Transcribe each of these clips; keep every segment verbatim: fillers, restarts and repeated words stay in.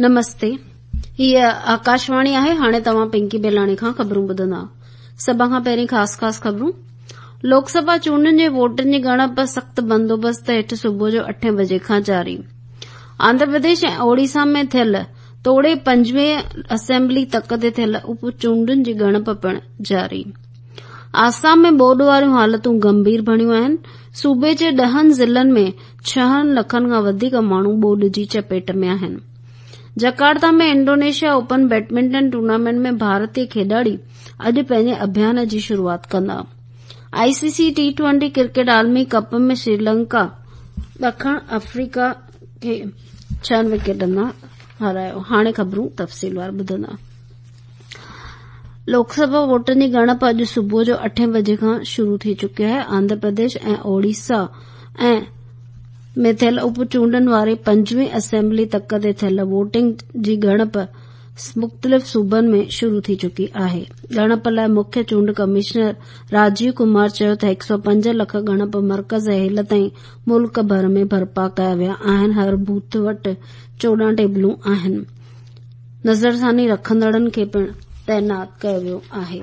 نمستي، هيء آڪاشواڻي آهي. هاڻي توهان پنڪي بيلاڻي کان خبرون ٻڌندا. سڀ کان پهرين خاص خاص خبرون. لوڪ سڀا چونڊن جي ووٽن جي ڳڻپ سخت بندوبست هيٺ صبح جو اٺين بجي کان جاري. آنڌرا پرديش ۽ اوڙيسا ۾ ٿيل توڙي پنجويهه اسيمبلي تڪ تي ٿيل اپ چونڊن جي ڳڻپ پڻ جاري. آسام ۾ ٻوڏ واريون حالتون گنڀير بڻيون آهن. صوبي جي ڏهن ضلعن ۾ ڇهن لکن کان وڌيڪ ماڻهو ٻوڏ جي چپيٽ ۾ آهن. Jakarta ۾ Indonesia open badminton tournament ۾ ڀارتي کيڏاڙي اڄ پنهنجي اڀيان جي شروعات ڪندا. I C C T twenty cricket عالمي ڪپ ۾ شريلنڪا ڏکڻ آفريڪا کي ڇهن وڪيٽن تان هارايو. هاڻي خبرون تفصيلوار ٻڌندا. لوڪ سڀا ووٽن جي ڳڻپ اڄ صبح جو اٺين بجي کان شروع ٿي چڪي آهي. آنڌرا پرديش ۽ اوڙيسا ۽ ۾ ٿيل اپ چونڊن واري پنجويهه اسيمبلي تڪ تي ٿيل ووٽنگ جي ڳڻپ مختلف صوبن ۾ شروع ٿي چڪي آهي. ڳڻپ لاء مکيه چونڊ ڪمشنر راجيو ڪمار چيو ته هڪ سؤ پنج لک ڳڻپ مرڪز هيل تائين ملڪ ڀر ۾ برپا ڪيا ويا آهن. هر بوٿ وٽ چوڏهن ٽيبلون آهن. نظرثاني رکندڙن کي پڻ تعينات ڪيو ويو آهي.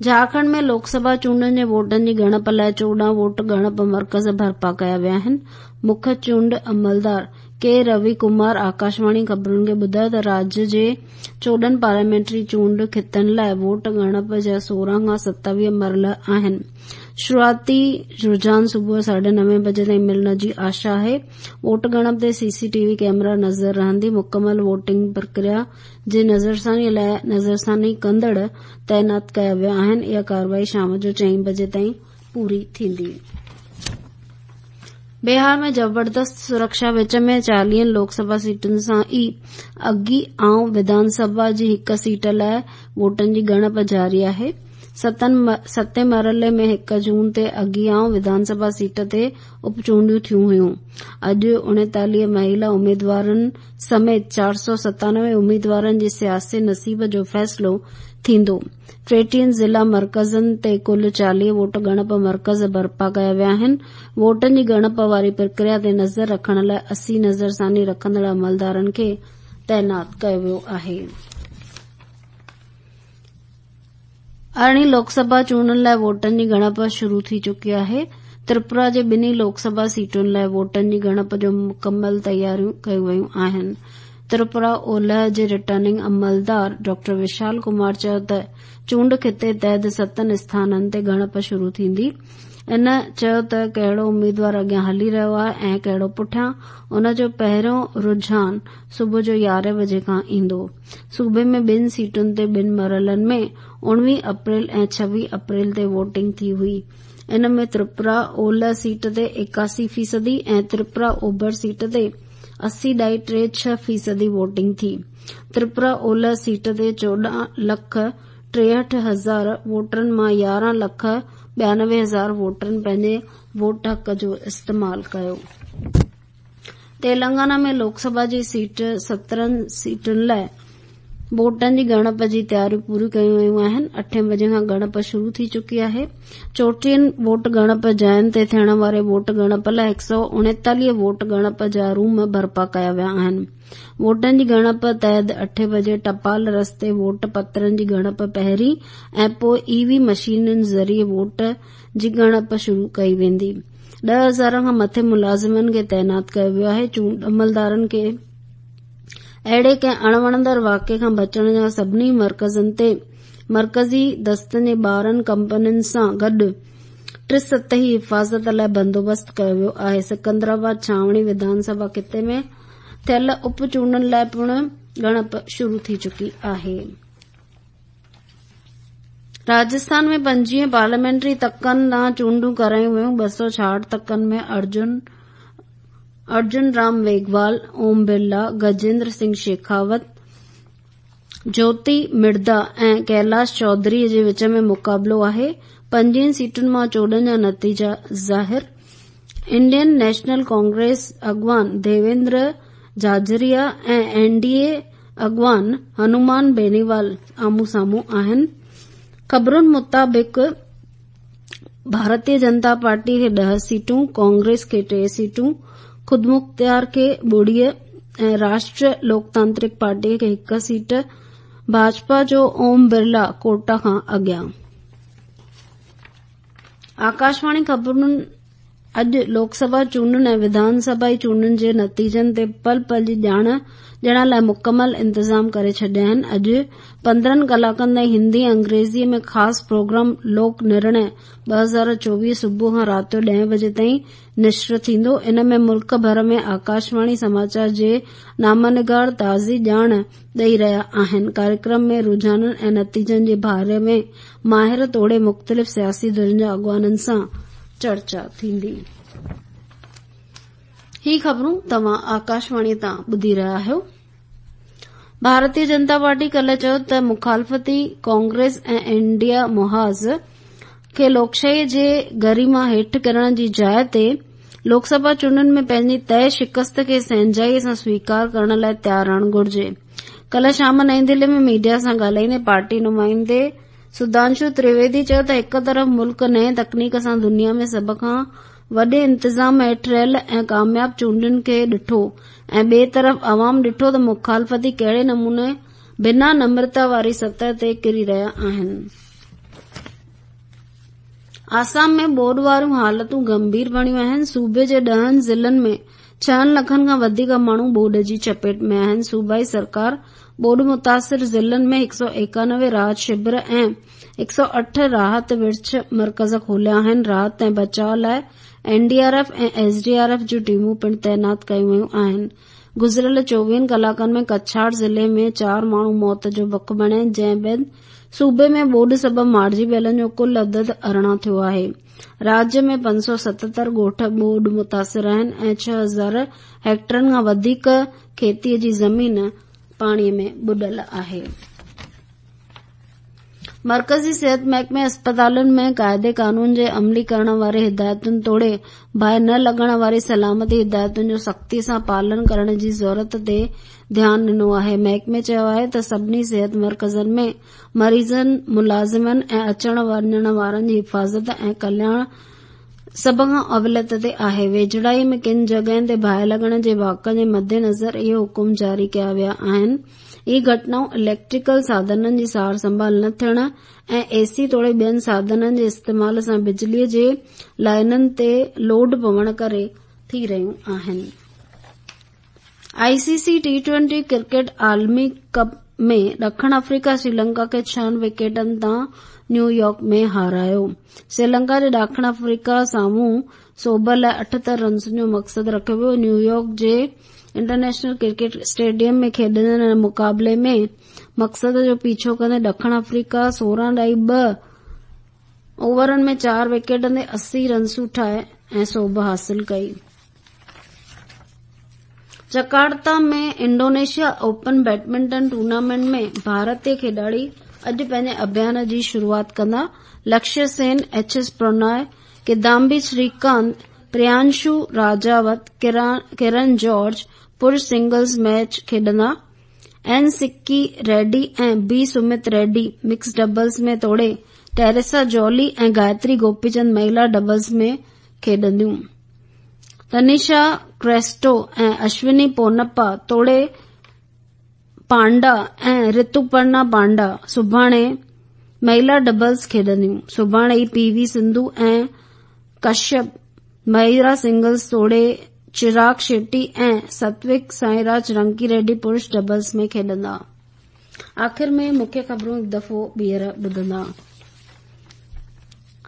جهارکنڊ ۾ لوڪ سڀا چونڊن جي ووٽن جي ڳڻپ لاء چوڏهن ووٽ ڳڻپ مرڪز برپا ڪيا ويا آهن. مکيه چونڊ عملدار ڪي روي ڪمار آڪاشواڻي خبرن کي ٻڌايو ته راجيه جي چوڏهن پارليامينٽري چونڊ خطن لاء ووٽ ڳڻپ جا سورهن کان ستاويهه مرحلا آهن. شروعاتي رجحان صبح ساڍي نوين بجي تائين ملڻ جي آشا آهي. ووٽ ڳڻپ تي سي سي ٽي وي ڪئميرا نظر رهندي. مڪمل ووٽنگ پرڪريا جي نظرثاني لاء نظرثاني ڪندڙ تعينات ڪيا ويا آهن. اها ڪارروائي شام جو چئين بجي تائين پوري ٿيندي. بهار ۾ زبردست سرڪشا وچ ۾ چاليهن لوڪ سڀا سيٽن سان ئي اگيائون وڌان سڀا جي هڪ سيٽ لاء ووٽن جي ڳڻپ جاري آهي. ستين مرحلي ۾ هڪ جون تي اگيائون وڌان سڀا سيٽ تي اپ چونڊيون ٿيون هيون. اڄ اڻيتاليهه مهيلا اميدوارن سميت چار سؤ ستانوي اميدوارن جي سياسي نصيب جو فيصلو ٿيندو. ٽيٽيهن ضلع مرڪزن تي ڪل چاليهه ووٽ ڳڻپ مرڪز برپا ڪيا ويا آهن. ووٽن جي ڳڻپ واري پرڪريا تي نظر رکڻ لاء اسي نظرثاني رکندڙ عملدارن کي تعينات ڪيو ويو آهي. ارڙهين لوڪ سڀا چونڊن لاء ووٽن جي ڳڻپ شروع ٿي چڪي آهي. تريپورا جي ٻنهي لوڪ سڀا سيٽن لاء ووٽن جي ڳڻپ جو مڪمل تياريون ڪيون ويون آهن. تريپورا اولهه جي رٽرننگ عملدار ڊاڪٽر وشال ڪمار چيو ته چونڊ خطي تحت ستن اسٿانن تي ڳڻپ شروع ٿيندي. هن چيو ته ڪهڙو اميدوار اڳيان هلي رهيو آهي ۽ ڪهڙو پٺيان، ان جو پهريون رجحان صبح جو يارهين بجي کان ايندو. صوبي ۾ ٻن سيٽن تي ٻن مرحلن ۾ اڻويهه اپريل ۽ ڇويهه اپريل تي ووٽنگ ٿي هئي. ان ۾ تريپورا اولهه سيٽ تي ايڪاسي فيصدي ۽ تريپورا اوڀر سيٽ تي اسي ڏهاڙي ٽي ڇهه فيصدي ووٽنگ ٿي. تريپورا اولهه سيٽ تي چوڏهن لک ٽيهٺ هزار ووٽرن مان يارهن لک ٻيانوي هزار ووٽرن پنهنجي ووٽ حق جو استعمال ڪيو. تيلنگانا ۾ لوڪ سڀا جي سيٽ سترهن سيٽن لاء ووٽن جي ڳڻپ جي تياريون پوريون ڪيون ويون آهن. اٺين بجي کان ڳڻپ شروع ٿي چڪي آهي. چوٽيهن ووٽ ڳڻپ جاين تي ٿيڻ واري ووٽ ڳڻپ لاء هڪ سؤ اڻيتاليهه ووٽ ڳڻپ جا روم برپا ڪيا ويا آهن. ووٽن جي ڳڻپ تحت اٺين بجي ٽپال رستي ووٽ پترن جي ڳڻپ پهرين ۽ پوء اي وي مشينن ذريعي ووٽ جي ڳڻپ شروع ڪئي ويندي. ڏهه هزار کان مٿي ملازمن کي تعينات ڪيو ويو آهي. چونڊ عملدارن کي اهڙي ڪنهن اڻوڻندڙ واقعي کان بچڻ جا سڀني مرڪزن تي مرڪزي دستن جي ٻارهن ڪمپنين سان گڏ ٽي سطحي حفاظت لاء بندوبست ڪيو ويو آهي. سڪندرآباد ڇانوڻي وڌان سڀا خطي ۾ ٿيل اپ چونڊن لاء پڻ ڳڻپ شروع ٿي چڪي آهي. راجسٿان ۾ پنجويهه پارليامينٽري تڪن ڏانهن چونڊون ڪرايون ويون. ٻه سؤ ڇاهٺ تڪن ۾ ارجن ارجن رام ميگهوال، اوم برلا، گجيندر سنگهه شيکاوت، جيوتي مردا ۽ ڪيلاش چوڌري جي وچ ۾ مقابلو آهي. پنجويهن سيٽن مان چوڏهن جا نتيجا ظاهر. انڊين نيشنل ڪانگريس اڳواڻ ديويندر جهاجريا ۽ اين ڊي اي اڳواڻ هنومان بينيوال آمهون سامهون آهن. خبرن مطابق ڀارتيه جنتا پارٽي کي ڏهه سيٽون، ڪانگريس کي ٽي سيٽون، خودمختيار کي ٻڙي ऐं राष्ट्रीय लोकतांत्रिक पार्टीअ खे हिकु सीट। भाजपा जो ओम बिरला कोटा खां अॻियां। आकाशवाणी ख़बरुनि अॼु लोकसभा चूंडुनि ऐं विधानसभा चूंडुनि जे नतीजनि ते पल पल जी ॼाण ॾियण लाइ मुकमल इंतज़ाम करे छॾिया आहिनि। अॼु पंद्रहं कलाकनि ताईं हिंदी ऐं अंग्रेज़ीअ में ख़ासि प्रोग्राम लोक निर्णय ॿ हज़ार चोवीह सुबुह खां राति जो ॾहें बजे ताईं निशर थींदो। इन में मुल्क भर में आकाशवाणी समाचार जे नामानिगार ताज़ी ॼाण ॾेई रहिया आहिनि। कार्यक्रम में रुझाननि ऐं नतीजनि जे बारे में माहिर तोड़े मुख़्तलिफ़ सियासी धुरियुनि जा अॻवाननि सां चर्चा थींदी। ही ख़बरूं तव्हां आकाशवाणी तां ॿुधी रहिया आहियो। भारतीय जनता पार्टी कल्ह चयो त मुखालफ़ती कांग्रेस ऐं इंडिया मुहाज़ खे लोकशाहीअ जे गरिमा हेठि किरण जी जाइ ते लोकसभा चूंडुनि में पंहिंजी तय शिकस्त खे सहंजाईअ सां स्वीकार करण लाइ तयार रहणु घुर्जे। कल्ह शाम नई दिल्ली में मीडिया सां ॻाल्हाईंदे पार्टी नुमाइंदे सुधांशु त्रिवेदी चयो त हिकु तरफ़ मुल्क नए तकनीक सां दुनिया में सभ खां वॾे इंतज़ाम हेठि रहियल ऐं कामयाब चूंडुनि खे ॾिठो ऐं ॿिए तरफ़ अवाम ॾिठो त मुखालफ़ती कहिड़े नमूने बिना नम्रता वारी सतह ते किरी रहिया आहिनि। आसाम में ॿोॾ वारियूं हालतूं गंभीर बणियूं आहिनि। सूबे जे ॾहनि ज़िलनि में छहनि लखनि खां वधीक माण्हू ॿोॾ जी चपेट में आहिनि। सूबाई सरकार ॿोॾ मुतासिर ज़िलनि में हिकु सौ एकानवे राहत शिविर ऐं हिकु सौ अठ राहत विर्छ मर्कज़ खोलिया आहिनि। राहत ऐं बचाव लाइ एनडीआरएफ ऐं एसडीआरएफ जूं टीमूं पिणु तैनात कयूं वयूं आहिनि। गुज़िरियल चोवीहनि कलाकनि में कछाड़ ज़िले में चारि माण्हू मौत जो बक बणिया, जंहिं बाद सूबे में ॿोॾ सबबि मारिजी वियलनि जो कुल अदद अरिड़हं थियो आहे। राज्य में पंज सौ सतहतरि ॻोठ ॿोॾ मुतासिर आहिनि ऐं छह हज़ार हेक्टरनि खां वधीक खेतीअ जी ज़मीन पाणीअ में ॿुॾल आहे। मर्कज़ी सिहत महकमे अस्पतालुनि में क़ाइदे कानून जे अमली करण वारे हिदायतुनि तोड़े बाहि न लॻण वारी सलामती हिदायतुनि जो सख़्ती सां पालन करण जी ज़रूरत ते ध्यानु ॾिनो आहे। महकमे चयो आहे त सभिनी सिहत मर्कज़नि में मरीज़नि, मुलाज़िमनि ऐं अचण वञण वारनि जी हिफ़ाज़त ऐं कल्याण सभ खां अवलियत ते आहे। वेझड़ाईअ में किन जॻहियुनि ते बाहि लॻण जे वाक़इनि जे मद्देनज़र इहे हुकुम जारी कया विया आहिनि। इहे घटनाऊं इलेक्ट्रिकल साधननि जी सार संभाल न थियण ऐं एसी तोड़े ॿियनि साधननि जे इस्तेमाल सां बिजलीअ जे लाइननि ते लोड पवण करे थी रहियूं आहिनि। आईसीसी टी ट्वेंटी क्रिकेट आलमी कप में ॾखिण अफ्रीका श्रीलंका खे छहनि विकेटनि तां न्यूयॉर्क में हारायो। श्रीलंका जे ॾाखिण अफ्रीका साम्हूं सोभ लाइ अठहतरि रन्सुनि जो मक़सदु रखियो वियो। न्यूयॉर्क जे इंटरनेशनल क्रिकेट स्टेडियम में खेॾंदड़ हिन मुक़ाबले में मक़सद जो पीछो कंदे ॾखिण अफ्रीका सोरहं ॾाई ॿ ओवरनि में चारि विकेटनि ते अस्सी रन्सूं ठाहे ऐं सोभ हासिल कई। जकार्ता में इंडोनेशिया ओपन बैडमिंटन टूर्नामेंट में भारतीय खिॾाड़ी अॼु पंहिंजे अभियान जी शुरूआत कंदा। लक्ष्य सेन, एच एस प्रणॉय, किदाम्बी श्रीकांत, प्रियांशु राजावत, किरण जॉर्ज पुरुष सिंगल्स मैच खेॾंदा। एन सिक्की रेड्डी ऐं B Sumeeth Reddy mix doubles में तोड़े टेरेसा जॉली ऐं गायत्री गोपीचंद महिला डबल्स में खेॾंदियूं। तनिषा क्रेस्टो ऐं अश्विनी पोनप्पा तोड़े पांडा ऐं ऋतुपर्णा पांडा सुभाणे महिला डबल्स खेॾंदियूं। सुभाणे ई पीवी सिंधु ऐं कश्यप महिला सिंगल्स तोड़े चिराग शेट्टी ऐं सत्विक साईराज रंकी रेड्डी पुरुष डबल्स में खेॾंदा। आख़िर में मुख्य ख़बरूं हिकु दफ़ो ॿीहर ॿुधंदा।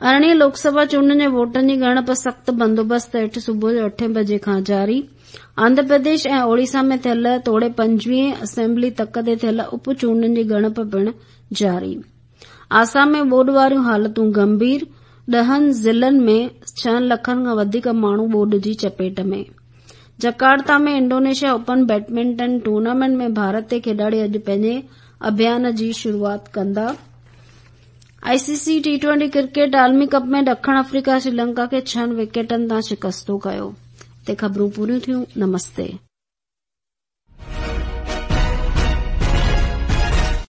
अरिड़हीं लोकसभा चूंडुनि जे वोटनि जी ॻणप सख़्तु बंदोबस्त हेठि सुबुह जो अठे बजे खां जारी। आंध्र प्रदेश ऐं ओडिशा में थियल तोड़े पंजवीह असेंबली तक ते थियल उप चूंडुनि जी ॻणप पिणु जारी। आसाम में ॿोॾ वारियूं हालतूं गंभीर, ॾहनि ज़िलनि में छहनि लखनि खां वधीक माण्हू ॿोॾ जी चपेट में। Jakarta में इंडोनेशिया ओपन बैडमिंटन टूर्नामेंट में भारतीय खिॾाड़ी अॼु पंहिंजे अभियान जी शुरूआत कंदा। आईसीसी टी ट्वेंटी क्रिकेट आलमी कप में ॾखिण अफ्रीका श्रीलंका खे छहनि विकेटनि तां शिकस्तो कयो। हिते ख़बरूं पूरियूं थियूं। नमस्ते।